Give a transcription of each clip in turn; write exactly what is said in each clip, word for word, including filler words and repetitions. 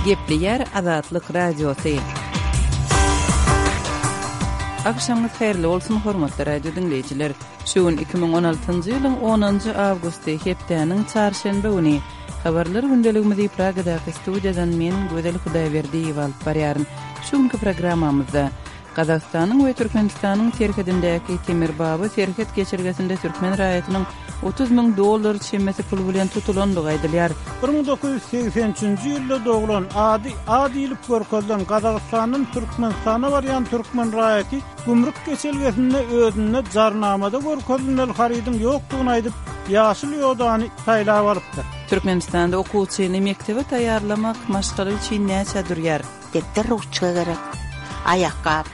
Gepleýär Azatlyk Radiosy. Agşamyňyz haýyrly bolsun, hormatly radio diňleýjiler. Şu gün iki müň on altynjy ýylyň onunjy awgusty, hepdäniň çarşenbe güni. Habarlar gündeligimizi Pragadaky studiýadan men, Gözel Hudaýberdiýewa alyp barýaryn. Şu günki programmamyzda Gazagystanyň we Türkmenistanyň serhedindäki Temirbaba serhet geçelgesinde türkmen raýatynyň otuz müň dollar çemesi pul bilen tutulandygy aýdylýar. Bir müň dokuz ýüz segsen üçünji ýylda doglan, ady A diýlip görkezilen Gazagystandan Türkmenistana barýan türkmen raýaty gümrük geçelgesinde özünde jarnamada görkezilmeli harydyň ýokdugyny aýdyp, ýaşyl ýodany saýlap alypdyr. Türkmenistanda okuwçyny mekdebe taýýarlamak maşgala üçin näçä durýar? Depder ruçka gerek, aýakgap,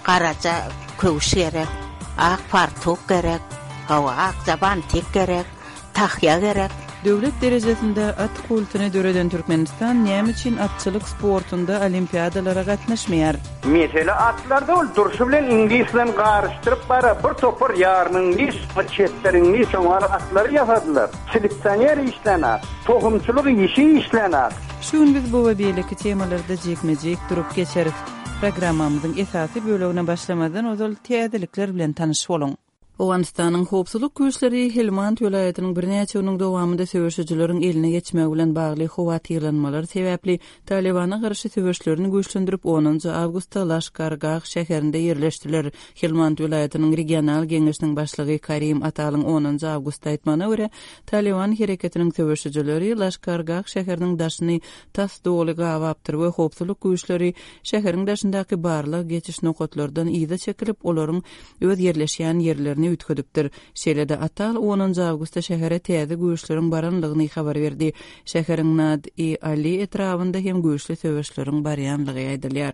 garaja köwüş gerek, ak fartuk gerek, hawa, akja bantik gerek, tahýa gerek. Döwlet derejesinde at kultuny döreden Türkmenistan näme üçin atçylyk sportunda olimpiadalara gatnaşmaýar? Mesele atlarda ol durşy bilen iňlis bilen garyşdyryp bara bir topar ýarym iňlis, bir çetler iňlis şoňa atlary ýasadylar. Seleksioner işlän at, tohumçylyk işi işlän at. Şu gün biz bu we beýleki temalarda jikme-jik durup geçeris. Programmamyzyň esasy bölegine başlamazdan ozal täzelikler bilen tanyş boluň. Owganystanyň howpsuzlyk güýçleri Helmand welaýatynyň birnäçe günüň dowamynda söweşijileriň eline geçmegi bilen bagly howatyrlanmalar sebäpli Talibana garşy söweşlerini güýçlendirip onunjy awgustda Laşkargah şäherinde ýerleşdiler. Helmand welaýatynyň regional geňeşiniň başlygy Karim Atalyň onunjy awgustda aýtmagyna görä, Taliban hereketiniň söweşijileri Laşkargah şäheriniň daşyny tas doly gabapdyr we howpsuzlyk güýçleri şäheriň daşyndaky barlag geçiş nokatlardan yza çekilip, olaryň öz ýerleşýän ýerlerini üýtgedipdir. Şeýle-de Atal onunjy awgustda şähere täze güýçleriň baranlygyny habar berdi. Şäheriň Nad-i Ali etrabynda hem güýçli söweşleriň barýanlygy aýdylýar.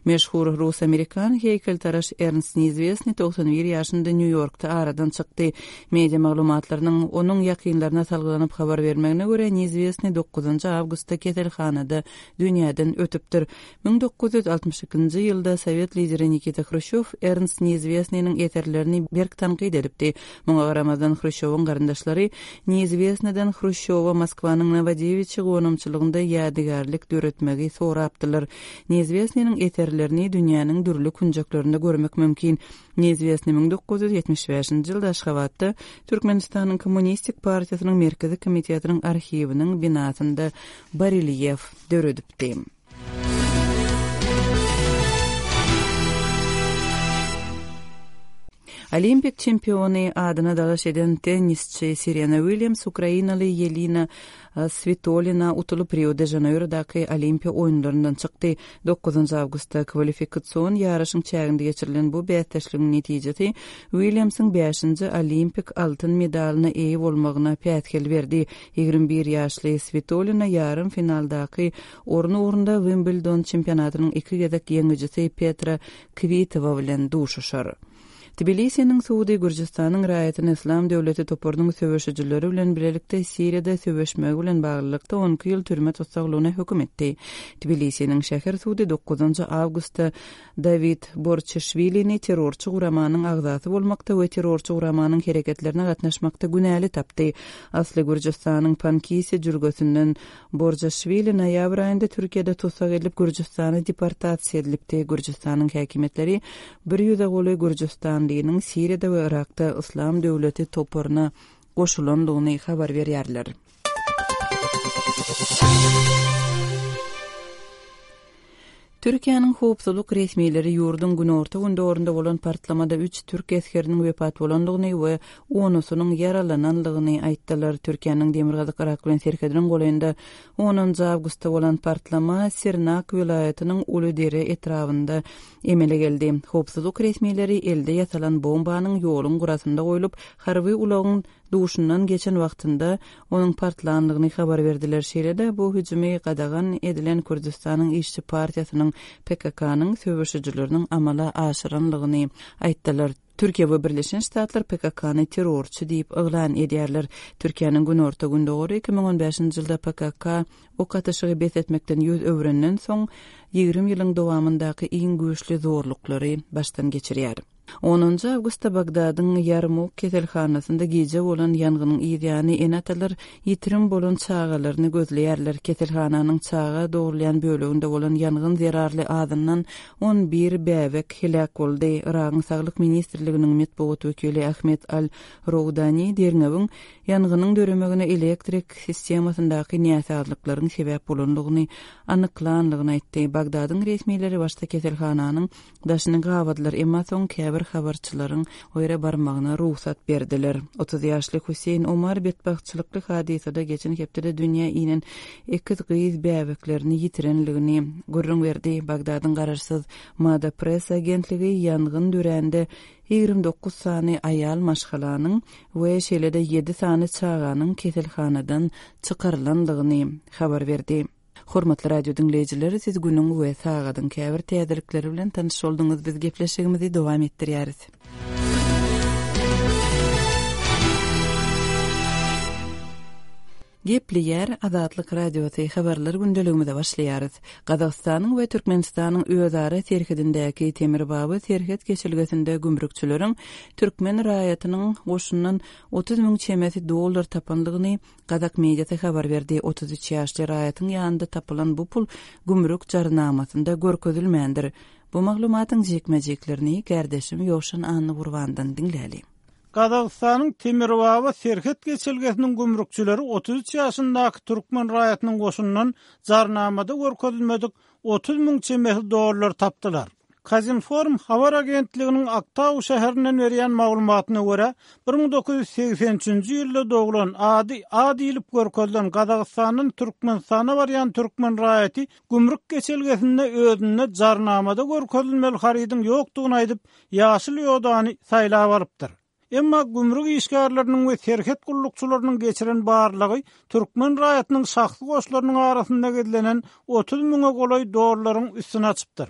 Meşhur rus-amerikan heýkeltaraş Ernst Neizwestny togsan bir ýaşynda Nýu-Ýorkda aradan çykdy. Media maglumatlarynyň onuň ýakynlaryna salgylanyp habar bermegine görä, Neizwestny dokuzynjy awgustda keselhanada dünýäden ötüpdir. Müň dokuz ýüz altmyş ikinji ýylda sowet lideri Nikita Hruşýow Ernst Neizwestnynyň eserlerini berk tankyt edipdi. Muňa garamazdan Hruşýowyň garyndaşlary Neizwestnydan Hruşýowa Moskwanyň Nowodewiçi gonamçylygynda ýadygärlik döretmegi sorapdylar. Neizwestnynyň eserlerini dünýäniň dürli künjeklerinde görmek mümkin. Neizwestny müň dokuz ýüz ýetmiş bäşinji ýylda Aşgabatda Türkmenistanyň Kommunistik partiýasynyň Merkezi komitetiniň arhiwiniň binasynda barelýef döredipdi. Olimpik çempiony adyna dalaş eden tennisçi Serena Williams Ukrainaly Ýelena Switolina utulyp Rio de Janeirodaky Olimpiýa oýunlaryndan çykdy. Dokuzynjy awgustda kwalifikasion ýaryşyň çäginde geçirilen bu bäsdeşligiň netijesi Williamsyň bäşinji olimpik altyn medalyna eýe bolmagyna päsgel berdi. Ýigrimi bir ýaşly Switolina ýarym finaldaky orun ugrunda Wimbledon çempionatynyň iki gezek ýeňijisi Petra Kvitova bilen duşuşar. Tbilisiniň sudy Gürjüstanyň raýatyny Islam döwleti toparynyň söweşijileri bilen bilelikde Siriýada söweşmegi bilen baglylykda on iki ýyl türme tussaglygyna höküm etdi. Tbilisiniň şäher sudy dokuzynjy awgustda Dawid Borçeşwilini terrorçy guramanyň agzasy bolmakda we terrorçy guramanyň hereketlerine gatnaşmakda günäli tapdy. Asly Gürjüstanyň Pankisi jülgesinden Borçeşwili noýabr aýynda Türkiýede tussag edilip Gürjüstana deportasiýa edilipdi. Gürjüstanyň häkimiýetleri bir ýüze golaý Gürjüstanlynyň Siriýada we Yrakda Islam döwleti toparyna goşulandygyny habar berýärler. Türkiýäniň howpsuzlyk resmileri ýurduň günorta gündogunda bolan partlamada üç türk esgeriniň wepat bolandygyny we onusynyň ýaralanandygyny aýtdylar. Türkiýäniň Demirgazyk Yrak bilen serhediniň golaýynda onunjy awgustda bolan partlama Sirnak welaýatynyň Uludere etrabynda emele geldi. Howpsuzlyk resmileri elde ýasalan bombanyň ýoluň gurasynda goýlup, harby ulagyň duşundan geçen wagtynda onuň partlanlygyny habar berdiler. Şeýle-de bu hüjümi gadagan edilen Kürdüstanyň İşçi partiýasynyň P K K-nyň söweşijileriniň amala aşyranlygyny aýtdylar. Türkiýe we Birleşen Ştatlar P K K-ny terrorçy diýip yglan edýärler. Türkiýäniň günorta gündogary iki müň on bäşinji ýylda P K K ok atyşygy bes etmekden ýüz öwrenden soň ýigrimi ýylyň dowamyndaky iň güýçli zorluklary başdan geçirýär. Onunjy awgustda Bagdadyň Ýarmuk keselhanasynda gije bolan ýangynyň yzýany ene-atalar ýitirim bolan çagalaryny gözleýärler. Keselhananyň çaga dogrulýan böleginde bolan ýangyn zerarly azyndan on bir bäbek heläk boldy. Yragyň Saglyk ministrliginiň metbugat wekili Ahmet Al-Roudani derňewiň ýangynyň döremegine elektrik sistemasyndaky näsazlyklaryň sebäp bolanlygyny anyklanlygyny aýtdy. Bagdadyň resmileri başda keselhananyň daşyny gabadylar, emma soň käbir habarçylaryň o ýere barmagyna rugsat berdiler. Otuz ýaşly Hüseýin Omar betbagtçylykly hadysada geçen hepdede dünýä inen ekiz gyz bäbeklerini ýitirenligini gürrüň berdi. Bagdadyň garaşsyz Mada Press agentligi ýangyn dörände ýigrimi dokuz sany aýal maşgalanyň we şeýle-de ýedi sany çaganyň keselhanadan çykarylanlygyny habar berdi. Hormatly radio diňleýjiler, siz günüň we sagadyň käbir täzelikleri bilen tanyş bolduňyz. Biz gepleşigimizi dowam etdirýäris. Gepleýär Azatlyk Radiosy habarlar gündeligimize başlaýarys. Gazagystanyň we Türkmenistanyň özara serhedindäki Temirbaba serhet geçelgesinde gümrükçileriň türkmen raýatynyň goşundan otuz müň çemesi dollar tapanlygyny Gazak mediasy habar berdi. Otuz üç ýaşly raýatyň ýanynda tapylan bu pul gümrük jarnamasynda görkezilmändir. Bu maglumatyň jikme-jiklerini kärdeşim Ýowşan Annagurbandan diňläli. Gazagystanyň Temirbaba serhet geçelgesiniň gümrükçileri otuz üç ýaşyndaky türkmen raýatynyň goşundan jarnamada görkezilmedik otuz müň çemesi dollar tapdylar. Kazinform habar agentliginiň Aktau şäherinden berýän maglumatyna görä, bir müň dokuz ýüz segsen üçünji ýylda doglan ady A diýlip görkezilen Gazagystandan Türkmenistana barýan türkmen raýaty gümrük geçelgesinde özünde jarnamada görkezilmeli harydyň ýokdugyny aýdyp, ýaşyl ýodany saýlap alypdyr. Emma gümrük işgärleriniň we serhet gullukçylarynyň geçiren barlygy türkmen raýatynyň şahsy goşlarynyň arasynda gizlenen otuz müňe golaý dollaryň üstüne açypdyr.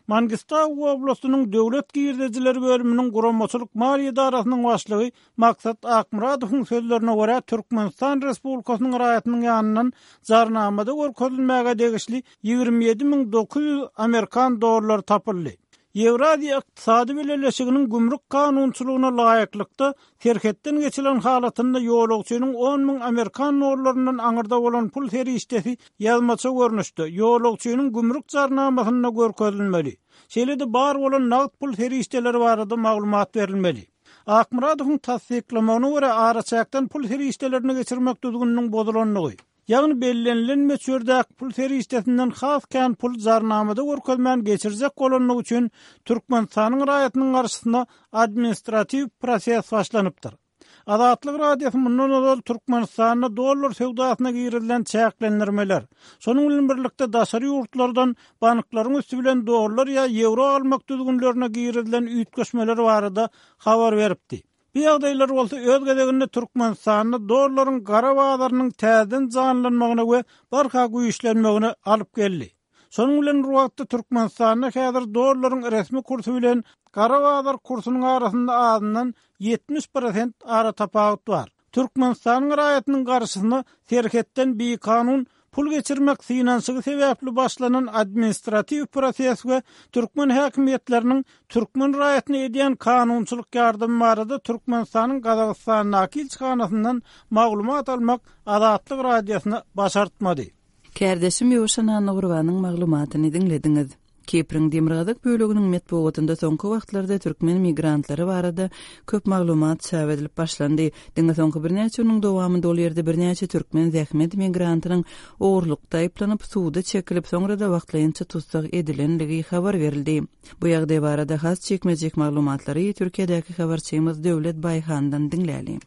Mangistau oblastynyň döwlet girdejileri bölüminiň guramaçylyk maliýe edarasynyň başlygy Maksat Akmyradowyň sözlerine görä Türkmenistan Respublikasynyň raýatynyň ýanyndan jarnamada görkezilmäge degişli ýigrimi ýedi müň dokuz ýüz amerikan dollary tapyldy. Ýewraziýa Ykdysady Bileleşiginiň gümrük kanunçylygyna laýyklykda serhetden geçilen halatynda ýolagçynyň on müň amerikan dollaryndan aňyrda bolan pul serişdesi ýazmaça görnüşde ýolagçynyň gümrük jarnamasynda görkezilmeli. Şeýle-de bar bolan nagt pul serişdeleri barada maglumat berilmeli. Akmyradowyň tassyklamagyna görä araçäkden pul serişdelerini geçirmek düzgüniniň bozulandygy, ýagny bellenilen möçberdäki pul serişdesinden has kän pul jarnamada görkezmän geçirjek bolanlygy üçin Türkmenistanyň raýatynyň garşysyna administratiw proses başlanypdyr. Azatlyk Radiosy mundan ozal Türkmenistanda dollar söwdasyna girizilen çäklendirmeler, şonuň bilen birlikde daşary ýurtlardan banklaryň üsti bilen dollar ýa ýewro almak düzgünlerine girizilen üýtgeşmeler barada habar beripdi. Bu ýagdaýlar bolsa öz gezeginde Türkmenistanda dollaryň gara bazarynyň täzeden janlanmagyna we barha güýçlenmegine alyp geldi. Şonuň bilen bir wagtda Türkmenistanda häzir dollaryň resmi kursy bilen gara bazar kursunyň arasynda azyndan ýetmiş prosent ara tapawut bar. Türkmenistanyň raýatynyň garşysyna serhetden bikanun pul geçirmek synanyşygy sebäpli başlanan administratiw proses we türkmen häkimiýetleriniň türkmen raýatyna edýän kanunçylyk ýardamy barada Türkmenistanyň Gazagystandaky ilçihanasyndan maglumat almak Azatlyk Radiosyna başartmady. Kärdeşim Ýowşan Annagurbanyň maglumatyny diňlediňiz. Kipriň demirgazyk böleginiň metbugatynda soňky wagtlarda türkmen migrantlary barada köp maglumat çap edilip başlandy. Diňe soňky birnäçe günüň dowamynda ol ýerde birnäçe türkmen zähmet migrantynyň ogurlykda aýyplanyp, suwda çekilip, soňra da wagtlaýynça tussag edilenligi habar berildi. Bu ýagdaý barada has çekmejek maglumatlary Türkiýedäki habarçymyz Döwlet Baýhandan diňläli.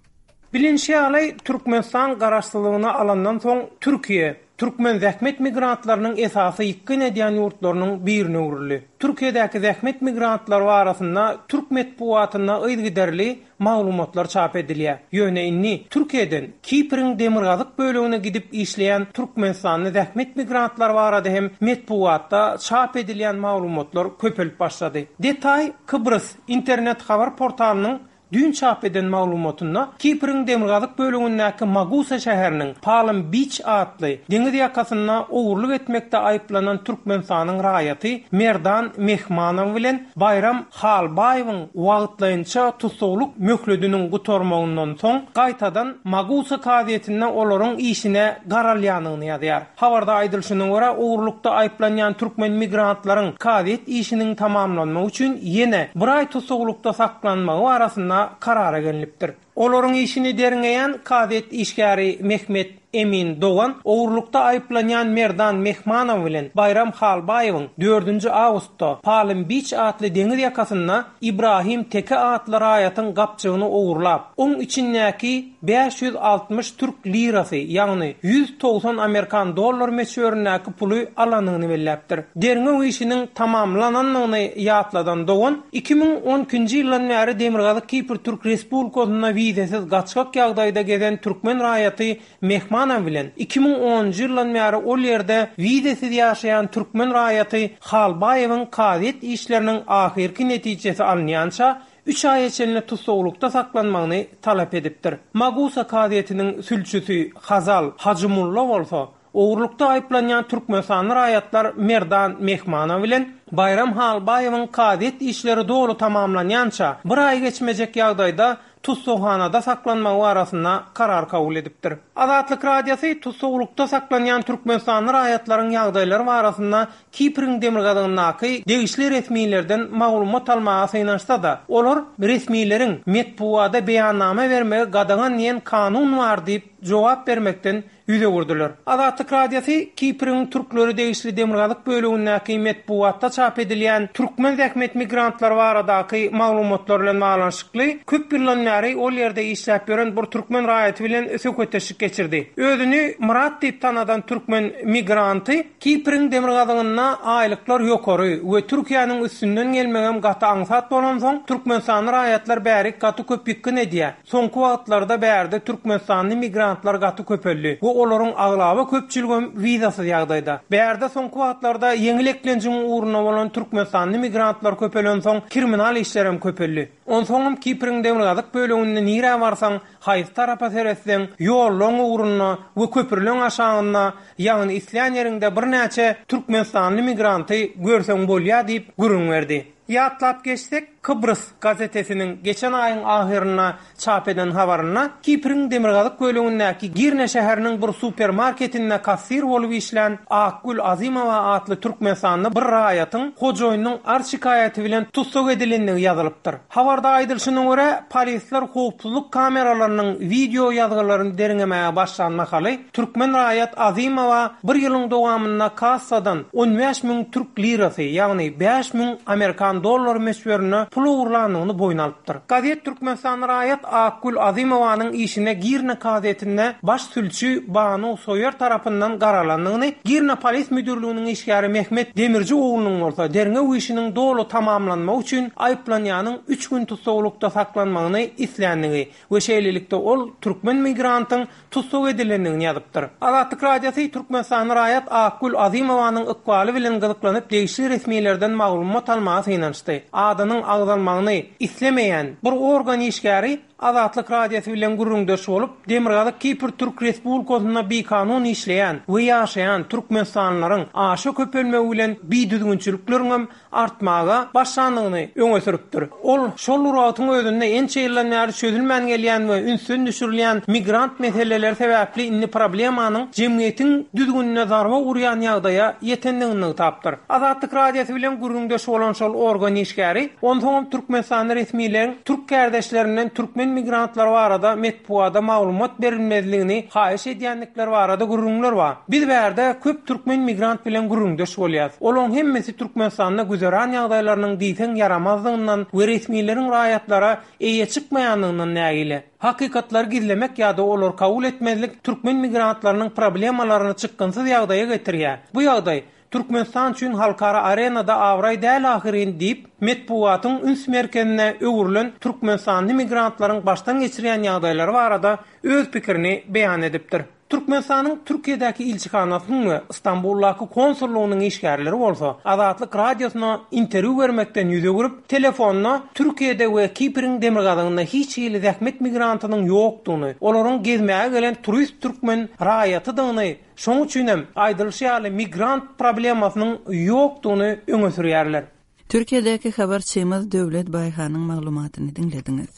Bilinç ýaly Türkmenistan garaşsyzlygyny alandan soň Türkiýe türkmen zähmet migrantlarynyň esasy ýykgyn edýän ýurtlarynyň birine öwrüldi. Türkiýedäki zähmet migrantlary arasynda türk metbugatynda yzygiderli maglumatlar çap edilýär. Ýöne indi Türkiýeden Kipriň demirgazyk bölegine gidip işleýän Türkmenistanly zähmet migrantlary barada hem metbugatda çap edilýän maglumatlar köpelip başlady. Detay Kıbrıs internet habar portalynyň düýn çap eden maglumatynda Kipriň demirgazyk bölegindäki Magusa şäheriniň Palm Beach atly deňiz ýakasynda ogurlyk etmekde aýyplanan Türkmenistanyň raýaty Merdan Mehmanow bilen Baýram Halbaýewiň wagtlaýynça tussaglyk möhletiniň gutarmagyndan soň gaýtadan Magusa kazyýetinde olaryň işine garalýanyny ýazýar. Habarda aýdylyşyna görä, ogurlykda aýyplanýan türkmen migrantlaryň kazyýet işiniň tamamlanmagy üçin ýene bir aý tussaglykda saklanmagy barasynda karara gelinipdir. Olaryň işini derňeýän kazyýet işgäri Mehmet Emin Dogan ogurlykda aýyplanýan Merdan Mehmanow bilen Baýram Halbaýewiň dördünji awgustda Palm Beach atly deňiz ýakasynda Ibrahim Teke atly raýatyň gapjygyny ogurlap, oň içindäki bäş ýüz altmyş türk lirasy, ýagny ýüz togsan amerikan dollar möçberindäki puly alanyny belläpdir. Derňew işiniň tamamlanandygyny ýatladan Dogan, iki müň on ikinji ýyldan bäri Demirgazyk Kipr Türk Respublikasynda wizesiz gaçgak ýagdaýda gezen türkmen raýaty Mehmanow bilen iki müň onunjy ýyldan bäri ol ýerde wizesiz ýaşaýan türkmen raýaty Halbaýewiň kazyýet işleriniň ahyrky netijesi alynýança üç aýa çenli tussaglykda saklanmagyny talap edipdir. Magusa kazyýetiniň sülçüsi Hazal Hajymulla bolsa, ogurlykda aýyplanýan Türkmenistanly raýatlar Merdan Mehmanow bilen Baýram Halbaýewiň kazyýet işleri doly tamamlanýança bir aý geçmejek ýagdaýda tussaghanada saklanmagy barasynda karar kabul edipdir. Azatlyk Radiosy tussaglykda saklanýan Türkmenistanly raýatlaryň ýagdaýlary barasynda Kipriň demirgazygyndaky degişli resmilerden maglumat almaga synanyşsa-da, olar resmileriň metbuada beýannama bermegi gadagan diýen kanun bar diýip jogap bermekden ýüz öwürdiler. Azatlyk Radiosy Kipriň türkleri degişli demirgazyk bölümindäki metbuatda çap edilýän türkmen zähmet migrantlary baradaky maglumatlar bilen baglanyşykly köp ýyldan bäri ol ýerde işläp ýören bir türkmen raýaty bilen söhbetdeşlik geçirdi. Özüni Murat diýip tanadan türkmen migranty Kipriň demirgazygynda aýlyklar ýokary we Türkiýäniň üstünden gelmegem gaty aňsat bolansoň Türkmenistanly raýatlar bäri gaty köp ýykgyn edýär. Soňky wagtlarda bärde Türkmenistanly migrantlar gaty köpeldi we olaryň aglaba köpçüligem wizasyz ýagdaýda. Bärde soňky wagtlarda ýeňil eklenjiň ugruna bolan Türkmenistanly migrantlar köpelensoň kriminal işlerem köpeldi. Onsoňam Kipriň demirgazyk bölüminde nirä barsaň, haýsy tarapa seretseň, ýollaň ugruna we köprüleň aşagynda, ýagny islän ýeriňde birnäçe Türkmenistanly migranty görseň bolýar diýip gürrüň berdi. Ýatlap geçsek, Kıbrıs gazetesiniň geçen aýyň ahyrynda çap eden habarynda Kipriň demirgazyk bölümindäki Girne şäheriniň bir supermarketinde kassir bolup işlän Akgül Azimowa atly Türkmenistanly bir raýatyň hojaýynyň arz şikaýaty bilen tussag edilendigi ýazylypdyr. Habarda aýdylyşyna görä, polisler howpsuzlyk kameralarynyň wideo ýazgylaryny derňemäge başlan mahaly türkmen raýat Azimowa bir ýylyň dowamynda kassadan on bäş müň türk lirasy, ýagny bäş müň amerikan dollar möçberinde pul ogurlandygyny boýun alypdyr. Gazet Türkmenistanly raýat Akgül Azimowanyň işine Girne kazyýetinde baş sülçi Banu Soýer tarapyndan garalandygyny, Girne polis müdürliginiň işgäri Mehmet Demirci oglunyň bolsa derňew işiniň doly tamamlanmagy üçin aýyplanýanyň üç gün tussaglykda saklanmagyny isländigi we şeýlelikde ol türkmen migrantyň tussag edilendigini ýazypdyr. Azatlyk Radiosy Türkmenistanly raýat Akgül Azimowanyň ykbaly bilen gyzyklanyp degişli resmilerden maglumat almaga synanyşdy. Adynyň agzalmagyny islemeýän bir organ işgäri Azatlyk Radiosy bilen gürrüňdeş bolup, Demirgazyk Kipr Türk Respublikasynda bikanun işleýän we ýaşaýan Türkmenistanlylaryň aşa köpelmegi bilen bidüzgünçilikleriň artmaga başlandygyny öňe sürüpdir. Ol şol wagtyň özünde ençe ýyldan bäri çözülmän gelýän we ünsden düşürilýän migrant meseleleri sebäpli indi problemanyň jemgyýetiň düzgünine zarba urýan ýagdaýa ýetendigini nygtapdyr. Azatlyk Radiosy bilen gürrüňdeş bolan şol organ işgäri, onsoňam Türkmenistanly resmileriň türk kardeşlerinden türkmen migrantlar barada metbuada maglumat berilmezligini haýyş edýändikleri barada gürrüňler bar. Biz bärde köp türkmen migrant bilen gürrüňdeş bolýas. Olaryň hemmesi Türkmenistanda güzeran ýagdaýlarynyň diýseň ýaramazdygyndan we resmileriň raýatlara eýe çykmaýandygyndan nägile. Hakykatlary gizlemek ýa-da olar kabul etmezlik türkmen migrantlarynyň problemalaryny çykgynsyz ýagdaýa getirýär. Bu ýagdaý Türkmenistan üçin halkara arenada abraý däl ahyrin diýip, metbugatyň üns merkezine öwrülen Türkmenistanly migrantlaryň başdan geçirýän ýagdaýlary barada öz pikirini beýan edipdir. Türkmenistanyň Türkiýedäki ilçihanasynyň we Istanbuldaky konsullygynyň işgärleri bolsa Azatlyk Radiosyna interwýu bermekden ýüz öwürip, telefonda Türkiýede we Kipriň demirgazygynda hiç hili zähmet migrantynyň ýokdugyny, olaryň gezmäge gelen turist türkmen raýatydygyny, şoň üçin hem aýdylyşy ýaly migrant problemasynyň ýokdugyny öňe sürýärler. Türkiýedäki habarçymyz Döwlet Baýhanyň maglumatyny diňlediňiz.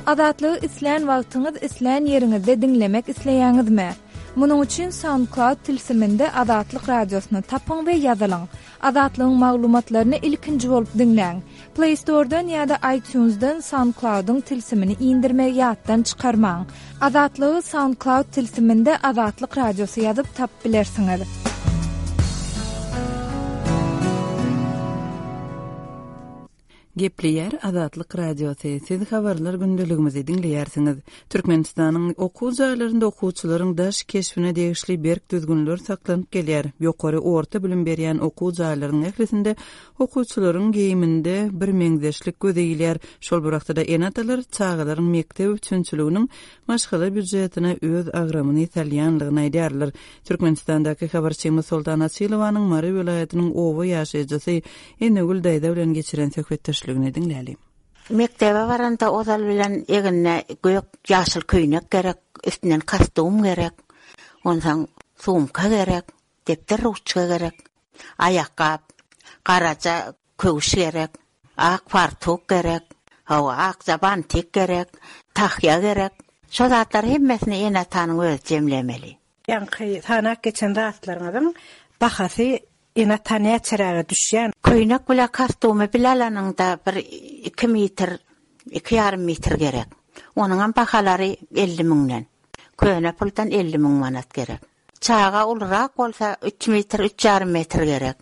Azatlygy islän wagtyňyz, islän ýeriňizde diňlemek isleýäňizmi? Munuň üçin SoundCloud tilsiminde Azatlyk radiosyny tapyň we ýazylyň. Azatlygyň maglumatlaryny ilkinji bolup diňläň. Play Store'dan ýa-da iTunes'dan SoundCloud'yň tilsimini indirmegi ýatdan çykarmaň. Azatlygy SoundCloud tilsiminde Azatlyk radiosy ýazyp tapyp bilersiňiz. Gepleýär Azatlyk Radiosy. Siz habarlar gündeligimizi diňleýärsiňiz. Türkmenistanyň okuw jaýlarynda okuwçylaryň daş keşbine degişli berk düzgünler saklanyp gelýär. Ýokary orta bilim berýän okuw jaýlarynyň ählisinde okuwçylaryň geýiminde bir meňzeşlik göze ilýär. Şol bir wagtda ene-atalar çagalaryň mekdep üçünçiliginiň maşgala býujetine öz agramyny salýanlygyny aýdýarlar. Türkmenistandaky habarçymyz Soltan Açylowanyň Mary welaýatynyň oba ýaşaýjysy Enegül daýza bilen geçiren söhbetdeşligini diňläli. Mekdebe baranda ozal bilen eginne gök ýaşyl köýnek gerek, üstünden kostum gerek, ondan sumka gerek, depder ruçka gerek, aýakgap, garaja köwüş gerek, ak fartuk gerek, hawa akja bantik gerek, tahýa gerek. Şo zatlar hemmesini ene-atanyň özi jemlemeli. Ýaňky sanak geçen zatlaryňyzyň bahasy ene-ata näçeräge düşýän? Köýnek bile kostumy bile alanyňda bir iki metr, iki ýarym metr gerek. Onuň hem bahalary elli müňden. Köne puldan elli müň manat gerek. Çaga ulurak bolsa üç metr, üç ýarym metr gerek.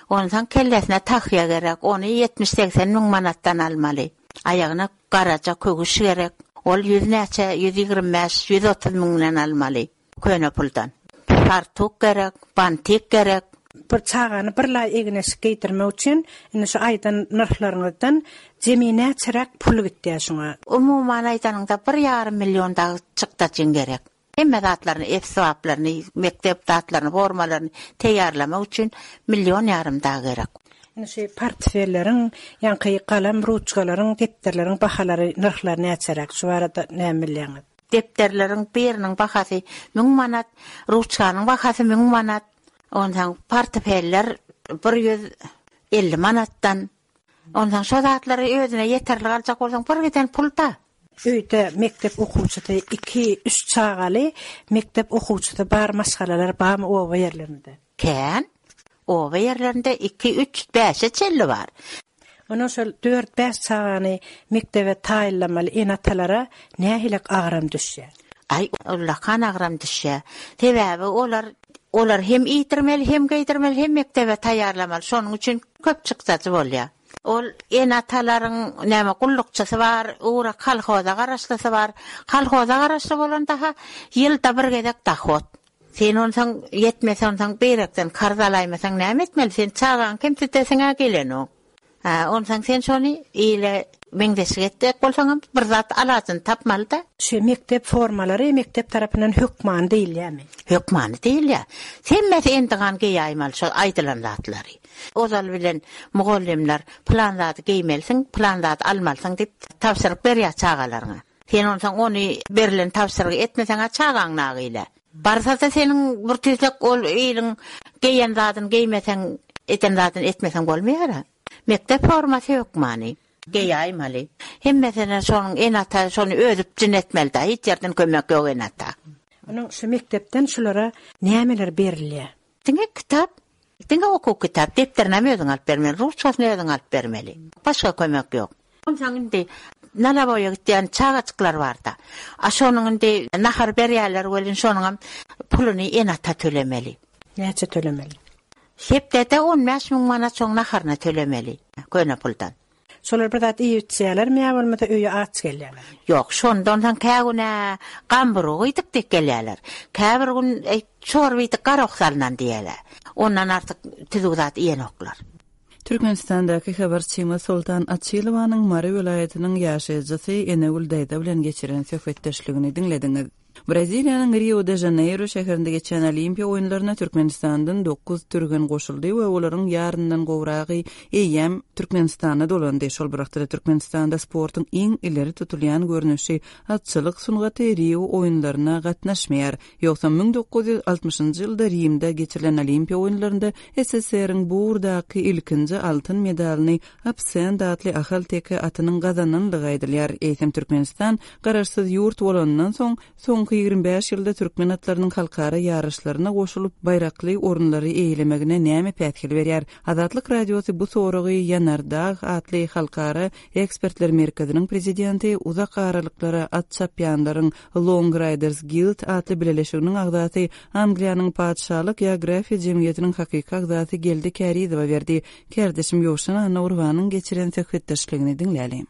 Ondan kellesine tahýa gerek. Ony ýetmiş segsen müň manatdan almaly. Aýagyna garaja köwüş gerek. Ol ýüz näçe, ýüz ýigrimi bäş, ýüz otuz müňden almaly köne puldan. Fartuk gerek, bantik gerek. Bir çagany bir laý egin-eşik geýdirmek üçin indi şu aýdan nyrhlaryňyzdan jemi näçeräk pul gitýär şuňa? Umuman aýdanyňda bir ýarym million dagy çykdajyň gerek. Hemme zatlaryny, esbaplaryny, mekdep zatlaryny, formalaryny taýýarlamak üçin million ýarym dagy gerek. Indi şu portfelleriň, ýaňky galam, ruçkalaryň, depderleriň bahalary, nyrhlary näçeräk? Şu barada näme bilýäňiz? Depderleriň biriniň bahasy müň manat, ruçkanyň bahasy müň manat. Ondan portfeller bir ýüz elli manatdan. Ondan şo zatlary özüne ýeterlik aljak bolsaň bir giden pul da. Öýde mekdep okuwçysy iki, üç çagaly mekdep okuwçysy bar maşgalalar barmy oba ýerlerinde? Kän. Oba ýerlerinde iki, üç, bäşe çenli bar. Onuň şol dört, bäş çagany mekdebe taýynlamaly ene-atalara nähili agram düşýär? Ay, ullakan agram düşýär. Sebäbi olar, olar hem iýdirmeli, hem geýdirmeli, hem mekdebe taýýarlamaly. Şonuň üçin köp çykdajy bolýar. Ol ene-atalaryň näme gullukçysy bar, ugra kolhoza garaşlysy bar. Kolhoza garaşly bolan daha ýylda bir gezek dahot. Sen onsaň ýetmese onsaň berekden karz alaýmasaň näme etmeli? Sen çagaň kim titesiňe gelenok. Ha, onsaň sen şony ile meňzeşik etjek bolsaň bir zat alajyny tapmaly da. Şu mekdep formalary mekdep tarapyndan hökmany diýilýärmi? Hökmany diýilýär. Hemmesi endigan geýäýmeli şo aýdylan zatlary. Ozal bilen mugallymlar plan zady geýmelisiň, plan zady almalysyň diýip tabşyryk berýär çagalaryňa. Sen onsaň ony berlen tabşyrygy etmeseň çagaň nagyla. Barsa da seniň bir tüýsek ol iliň geýen zadyny geýmeseň, eden zadyny etmeseň bolmaýar. Mekdep formasy hökmany. Geýäýmeli. Hemmesine şonuň ene-ata şony özüp jin etmeli da, hiç ýerden kömek ýok ene-ata. Onuň şu mekdepden şulara nämeler berilýär? Diňe kitap, diňe okuw kitap, depderini hem özüň alyp bermeli, ruçkasyny özüň alyp bermeli. Başga kömek ýok. Onsoň indi nalaboýa gitýän çagajyklar bar-da. A şonuň indi nahar berýärler welin şonuň hem puluny ene-ata tölemeli. Näçe tölemeli? Hepdede on bäş müň manat şoň naharyna tölemeli, köne puldan. Şolar bir zat iýip içýärlermi ýa bolmasa öýe aç gelýärler? Ýok, şondan soň kä güne gamburgy iýdik diýip gelýärler. Käbir gün, e, çorba iýdik, garok salynan diýýärler. Ondan artyk tüzük zat iýenoklar. Türkmenistandaky habarçymyz Soltan Açylowanyň Mary welaýatynyň ýaşaýjysy Enegül daýza bilen geçiren söhbetdeşligini diňlediňiz. Braziliýanyň Rio-de-Žaneýro şäherinde geçen Olimpiýa oýunlaryna Türkmenistandan dokuz türgen goşuldy we olaryň ýaryndan gowragy eýýäm Türkmenistana dolandy. Şol bir wagtda-da Türkmenistanda sportuň iň ileri tutulýan görnüşi atçylyk sungaty Rio oýunlaryna gatnaşmaýar. Ýogsam müň dokuz ýüz altmyşynjy ýylda Rimde geçirilen Olimpiýa oýunlarynda SSR-iň bu ugurdaky ilkinji altyn medalyny Absent atly ahalteke atynyň gazananlygy aýdylýar. Eýsem Türkmenistan garaşsyz ýurt bolanyndan soň, soňky ýigrimi bäş ýylda türkmen atlarynyň halkara ýaryşlaryna goşulyp, baýrakly orunlary eýelemegine näme päsgel berýär? Azatlyk Radiosy bu soragy Ýanardag atly halkara ekspertler merkeziniň prezidenti, uzak aralyklara at çapýanlaryň Long Riders Guild atly bileleşiginiň agzasy, Angliýanyň Patyşalyk geografiýa jemgyýetiniň hakyky agzasy Geldi Kärizowa berdi. Kärdeşim Ýowşan Annagurbanyň geçiren söhbetdeşligini diňläliň.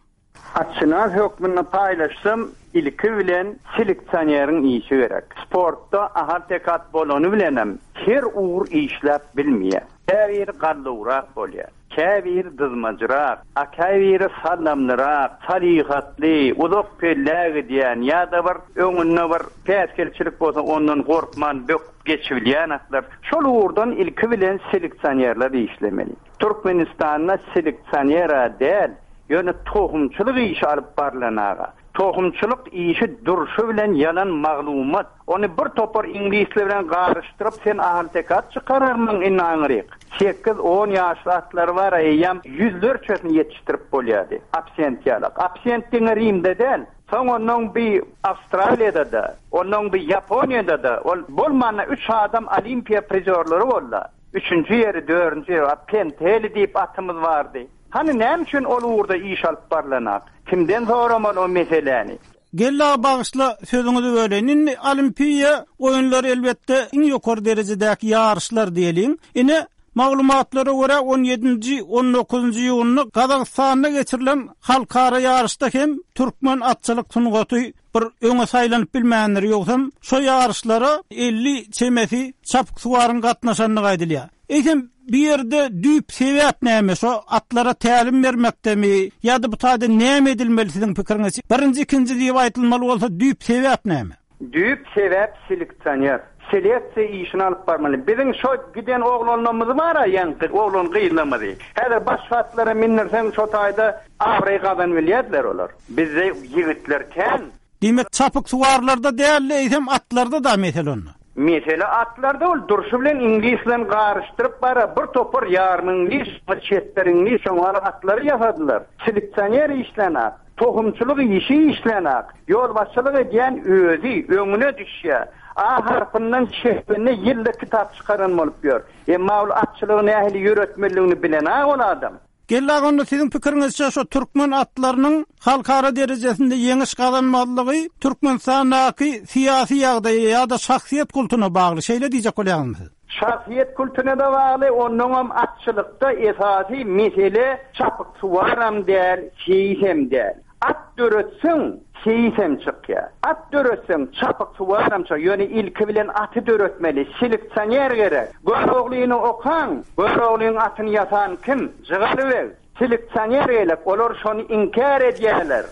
Atşynas hökmünde paýlaşsam, ilki bilen seleksioneriň işi gerek. Sportda ahal-teke at bolany bilenem her ugur işläp bilmeýär. Käbiri gallawrak bolýar, käbiri dyzmajyrak, a käbiri sallamlyrak, salyhatly, uzak pellä gidýän ýa-da bir öňünde bir päsgelçilik bolsa ondan gorkman böküp geçibilýän atlar. Şol ugurdan ilki bilen seleksionerler işlemeli. Türkmenistanda seleksionera däl, ýöne tohumçylyk işi alyp barlan aga. Tohumçylyk işi durşy bilen ýalan maglumat. Ony bir topar iňlisler bilen garyşdyryp sen ahal-teke at çykararmyň indi aňryk. Sekiz on ýaşly atlar bar, eýýäm ýüzlerçesini ýetişdirip bolýardy. Absent ýalak. Absent diňe Rimde däl. Soň ondan bir Awstraliýada-da, ondan bir Ýaponiýada-da, ol bolmanda üç adam olimpiýa prizorlary boldy. Üçünji ýeri, dördünji ýeri, Penteli diýip atymyz bardy. Hany näme üçin ol ugurda iş alyp barlanak? Kimden soramaly o meseläni? Gella bagyşla sözüňizi böleýin. Indi olimpiýa oýunlary elbetde iň ýokary derejedäki ýaryşlar diýeliň. Ine maglumatlara görä on ýedinji, on dokuzynjy iýunda Gazagystanda geçirilen halkara ýaryşda hem türkmen atçylyk sungaty bir öňe saýlanyp bilmändir. Ýogsam şo ýaryşlara elli çemesi çapyksuwaryň gatnaşandygy aýdylýar. Eýsem bir ýerde düýp sebäp näme? Şo atlara tälim bermekdemi ýa-da bu taýda näme edilmeli siziň pikiriňizçe? Birinji, ikinji diýip aýdylmaly bolsa düýp sebäp näme? Düýp sebäp seleksioner. Seleksiýa işini alyp barmaly. Biziň şo giden oglanlarymyz bar-a, ýaňky oglan gyzlarymyzy. Häzir başga atlara mindirseň şo taýda abraý gazan bilýärdiler olar. Bizde ýigitler kän. Diýmek çapyksuwarlarda däl, eýsem atlarda da mesele onda. Mesele atlarda ol durşy bilen iňlis bilen garyşdyryp bara bir topar ýarym iňlis, bir çetler iňlis şoňa atlary ýasadylar. Seleksioner işlenak, tohumçylyk işi işlenak, ýolbaşçylyk edýän özi öňüne düşýär. A harpyndan çekende ýylda kitap çykaran bolup ýör. Emma ol atçylygy nähili ýöretmeliligini bilen a ol adam. Gella onda siziň pikiriňizçe şu türkmen atlarynyň halkara derejesinde ýeňiş gazanmalygy Türkmenistandaky syýasy ýagdaýa ýa-da şahsyýet kultuna bagly, şeýle diýjek bolýarmyň siz? Şahsyýet kultuna da bagly, onnoňam atçylykda esasy mesele çapyksuwaram däl, seýisem däl. At döretseň, seýisem çykýar. At döretseň, çapyksuwaram çykýar. Ýöne ilki bilen aty döretmeli, seleksioner gerek. Göroglyny okan, Göroglyň atyny ýasan kim? Jygalybeg. Seleksioner gerek, olar şony inkär edýärler.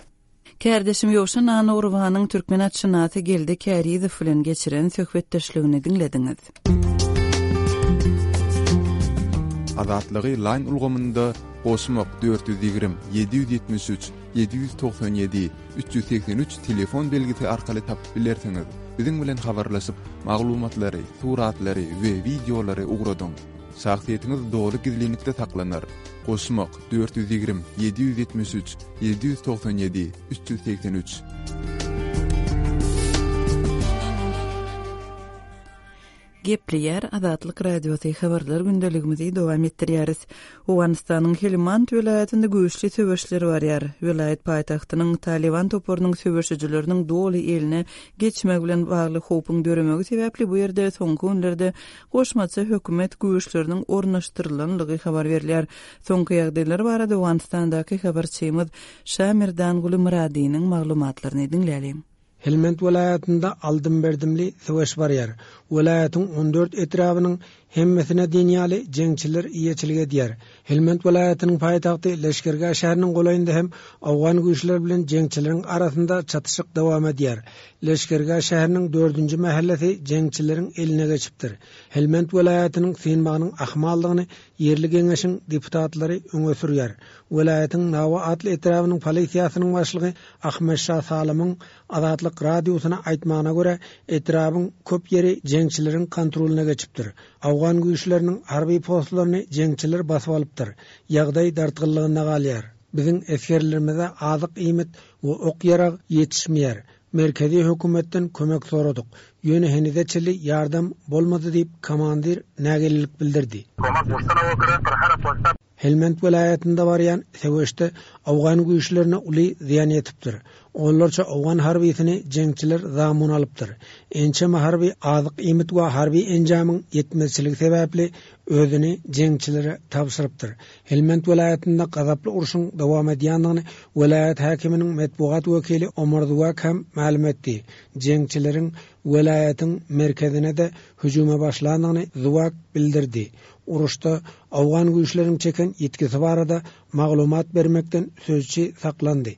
Kärdeşim Ýowşan Annagurbanyň türkmen atşynasy Geldi Kärizow bilen geçiren söhbetdeşligini diňlediňiz. Azatlygy Line ulgamynda goşmak dört ýüz ýigrimi, ýedi ýüz ýetmiş üç, ýedi ýüz togsan ýedi, üç ýüz segsen üç telefon belgisi arkaly tapyp bilersiňiz. Biziň bilen habarlaşyp, maglumatlary, suratlary we wideolary ugradyň. Şahsyýetiňiz doly gizlinlikde saklanar. Goşmak dört ýüz ýigrimi, ýedi ýüz ýetmiş üç, ýedi ýüz togsan ýedi, üç ýüz segsen üç. Gepleýär Azatlyk Radiosy habarlar gündeligimizi dowam etdirýäris. Owganystanyň Helmand welaýatynda güýçli söweşler barýar. Welaýat paýtagtynyň Taliban toparynyň söweşijileriniň doly eline geçmegi bilen bagly howpuň döremegi sebäpli bu ýerde soňky günlerde goşmaça hökümet güýçleriniň ornaşdyrylanlygy habar berilýär. Soňky ýagdaýlar barada Owganystandaky habarçymyz Şamirdanguly Myradynyň maglumatlaryny diňläliň. Helmand welaýatynda aldym-berdimli söweş barýar. Welaýatyň on dört etrabynyň hemmesine diýen ýaly jeňçiler eýeçilik edýär. Helmand welaýatynyň paýtagty Leşkergah şäheriniň golaýynda hem owgan güýçleri bilen jeňçileriň arasynda çatyşyk dowam edýär. Leşkergah şäheriniň dördünji mähellesi jeňçileriň eline geçipdir. Helmand welaýatynyň synmagynyň ahmaldygyny ýerli geňeşiň deputatlary öňe sürýär. Welaýatyň Nawa atly etrabynyň polisiýasynyň başlygy Ahmet Şah Salamyň Azatlyk radiosyna aýtmagyna görä, etrabyň köp ýeri jeňçileriň kontrolyna geçipdir. Awgan güýçleriniň harby postlaryny jeňçiler basyp alypdyr. Ýagdaý dartgynlygynda galýar. Biziň esgerlerimize azyk iýmit we ok-ýarag ýetişmeýär. Merkezi hökümetden kömek soradyk. Ýöne henize çenli ýardam bolmady diýip komandir nägilelik bildirdi. Helmand welaýatynda barýan söweşde Awgan güýçlerine uly zyýan ýetipdir. Onlarça Awgan harbysyny jeňçiler zamun alypdyr. Ençeme harby azyk iýmit we harby enjamyň ýetmezçiligi sebäpli özüni jeňçilere tabşyrypdyr. Helmand welaýatynda gazaply urşuň dowam edýändigini welaýat häkiminiň metbugat wekili Omar Zuwak hem mälim etdi. Jeňçileriň welaýatyň merkezine-de hüjüme başlandygyny Zuwak bildirdi. Uruşda Awgan güýçleriniň çeken ýitgisi barada maglumat bermekden sözçi saklandy.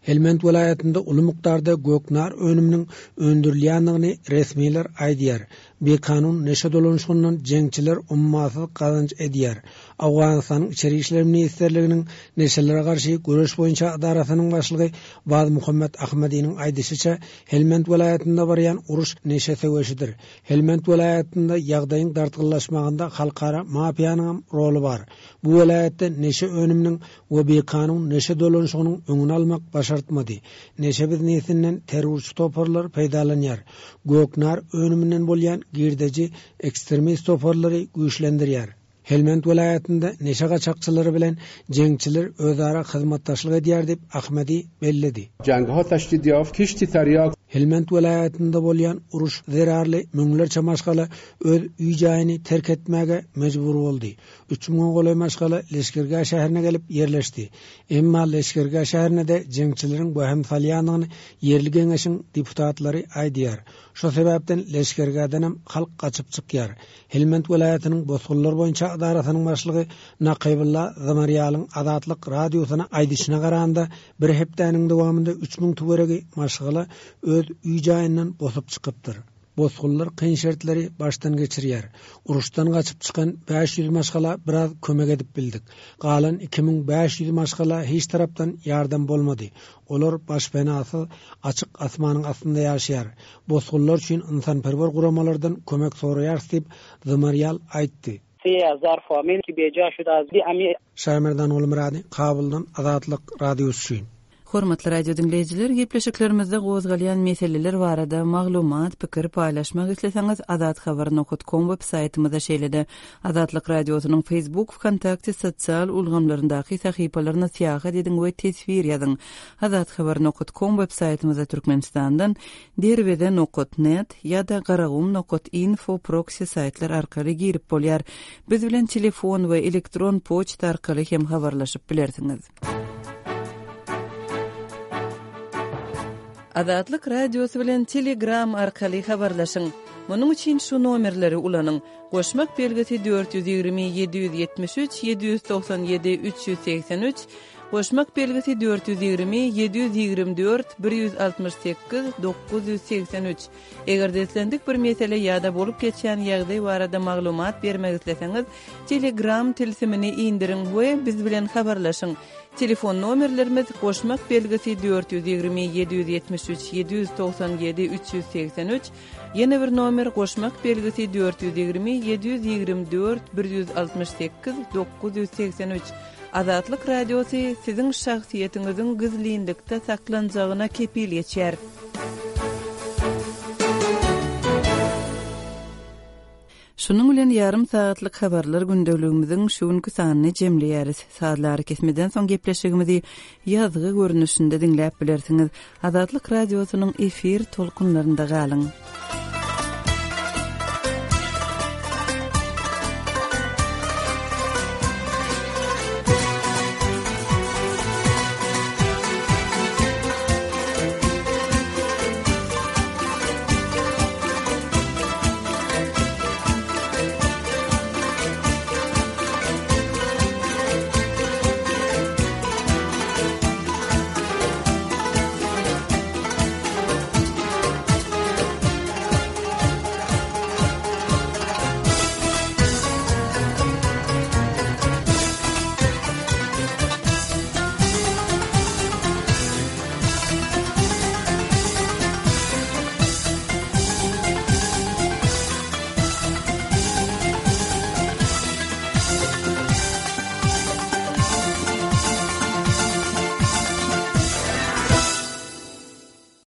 Helmand welaýatynda uly mukdarda göknar önüminiň öndürilýändigini resmiler aýdýar. Bikanun neşe dolanyşygyndan jeňçiler ummasyz gazanç edýär. Awganystanyň Içeri işler ministrliginiň neşelere garşy göreş boýunça edarasynyň başlygy Baz Muhammed Ahmediniň aýdyşyça, Helmand welaýatynda barýan uruş neşe söweşidir. Helmand welaýatynda ýagdaýyň dartgynlaşmagynda halkara mafiýanyň roly bar. Bu welaýatda neşe önüminiň we bikanun neşe dolanyşygynyň öňüni almak başartmady. Neşe biznesinden terrorçy toparlar peýdalanýar. Göknar önüminden bolýan girdeji ekstremist toparlary güýçlendirýär. Helmand welaýatynda neşe gaçakçylary bilen jeňçiler özara hyzmatdaşlyk edýär diýip Ahmedi belledi. Helmand welaýatynda bolýan uruş zerarly müňlerçe maşgala öz öý jaýyny terk etmäge mejbur boldy. Üç müňe golaý maşgala Leşkergah şäherine gelip ýerleşdi. Emma Leşkergah şäherine-de jeňçileriň wehim salýandygyny ýerli geňeşiň deputatlary aýdýar. Şo sebäpden Leşkergahdan halk gaçyp çykýar. Helmand welaýatynyň bosgunlar boýunça edarasynyň başlygy Nakybulla Zamarýalyň Azatlyk radiosyna aýdyşyna garanda bir hepdäniň dowamynda üç müň töweregi maşgala öz öý jaýyndan bosup çykypdyr. Bosgunlar kyn şertleri başdan geçirýär. Uruşdan gaçyp çykan bäş ýüz maşgala biraz kömek edip bildik. Galan iki müň bäş ýüz maşgala hiç tarapdan ýardam bolmady. Olar başpenasyz açyk asmanyň astynda ýaşaýar. Bosgunlar üçin insanperwer guramalardan kömek soraýarys diýip Zamarýal aýtdy. Şaýmerdan Gulmyrady, Kabuldan Azatlyk radiosy üçin. Hormatly radio dinleýjiler, gepleşiklerimizde gozgalýan meseleler barada maglumat, pikir paýlaşmak isleseňiz azathabar nokta com web saýtymyzda şeýle-de Azatlyk radiosynyň Facebook, VKontakte sosial ulgamlaryndaky sahypalaryna syýahat ediň we teswir ýazyň. Azathabar nokta com web saýtymyzda Türkmenistandan derweze nokta net ýa-da garagum nokta info proxy saýtlar arkaly girip bolýar. Biz bilen telefon we elektron poçta arkaly hem habarlaşyp bilersiňiz. Azatlyk radiosy bilen Telegram arkaly habarlaşyň. Munuň üçin şu nomerleri ulanyň. Goşmak belgisi dört ýüz ýigrimi ýedi ýüz ýetmiş üç ýedi ýüz togsan ýedi üç ýüz segsen üç, goşmak belgisi dört ýüz ýigrimi ýedi ýüz ýigrimi dört bir ýüz altmyş sekiz dokuz ýüz segsen üç. Eger islendik bir mesele ýa-da bolup geçýän ýagdaý barada maglumat bermek isleseňiz, Telegram tilsimini indiriň we biz bilen habarlaşyň. Telefon nomerlerimiz goşmak belgisi dört ýüz ýigrimi ýedi ýüz ýetmiş üç ýedi ýüz togsan ýedi üç ýüz segsen üç, ýene bir nomer goşmak belgisi dört ýüz ýigrimi ýedi ýüz ýigrimi dört bir ýüz altmyş sekiz dokuz ýüz segsen üç. Azatlyk radiosy siziň şahsyýetiňiziň gizlinlikde saklanjagyna kepil geçýär. Şunuň bilen ýarym saatlyk habarlar gündeligimiziň şu günki sanyny jemleýäris. Sazlary kesmeden soň gepleşigimizi ýazgy görnüşinde diňläp bilersiňiz. Azatlyk radiosynyň efir tolkunlarynda galyň.